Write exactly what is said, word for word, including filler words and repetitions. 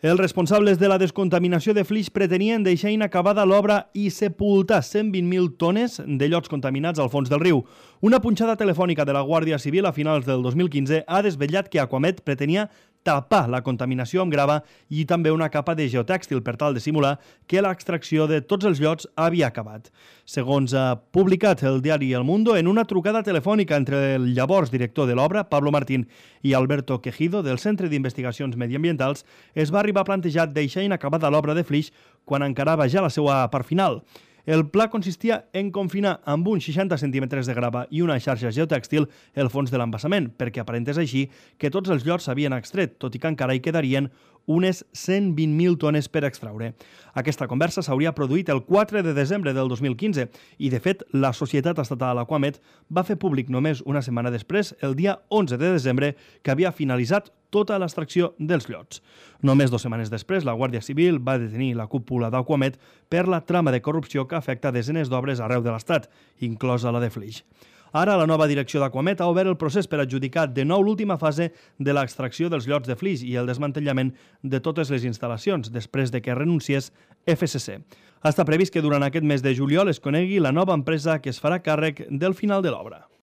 Els responsables de la descontaminació de Flix pretenien deixar inacabada l'obra i sepultar cent vint mil tones de llots contaminats al fons del riu. Una punxada telefònica de la Guàrdia Civil a finals del dos mil quinze ha desvetllat que Aquamet pretenia tapar la contaminació amb grava i també una capa de geotèxtil per tal de simular que l'extracció de tots els llots havia acabat. Segons ha publicat el diari El Mundo, en una trucada telefònica entre el llavors director de l'obra, Pablo Martín, i Alberto Quejido, del Centre d'Investigacions Mediambientals, es va arribar a plantejar deixar inacabada l'obra de Flix quan encarava ja la seva part final. El pla consistia en confinar amb uns seixanta centímetres de grava i una xarxa geotèxtil el fons de l'embassament, perquè aparentés així que tots els llots s'havien extret, tot i que encara hi quedarien unes cent vint mil tones per extraure. Aquesta conversa s'hauria produït el quatre de desembre del dos mil quinze i, de fet, la societat estatal Aquamet va fer públic només una setmana després, el dia onze de desembre, que havia finalitzat tota l'extracció dels llots. Només dues setmanes després, la Guàrdia Civil va detenir la cúpula d'Aquamet per la trama de corrupció que afecta desenes d'obres arreu de l'Estat, inclosa la de Flix. Ara, la nova direcció d'Aquamet ha obert el procés per adjudicar de nou l'última fase de l'extracció dels llots de Flix i el desmantellament de totes les instal·lacions, després de que renunciés F C C. Està previst que durant aquest mes de juliol es conegui la nova empresa que es farà càrrec del final de l'obra.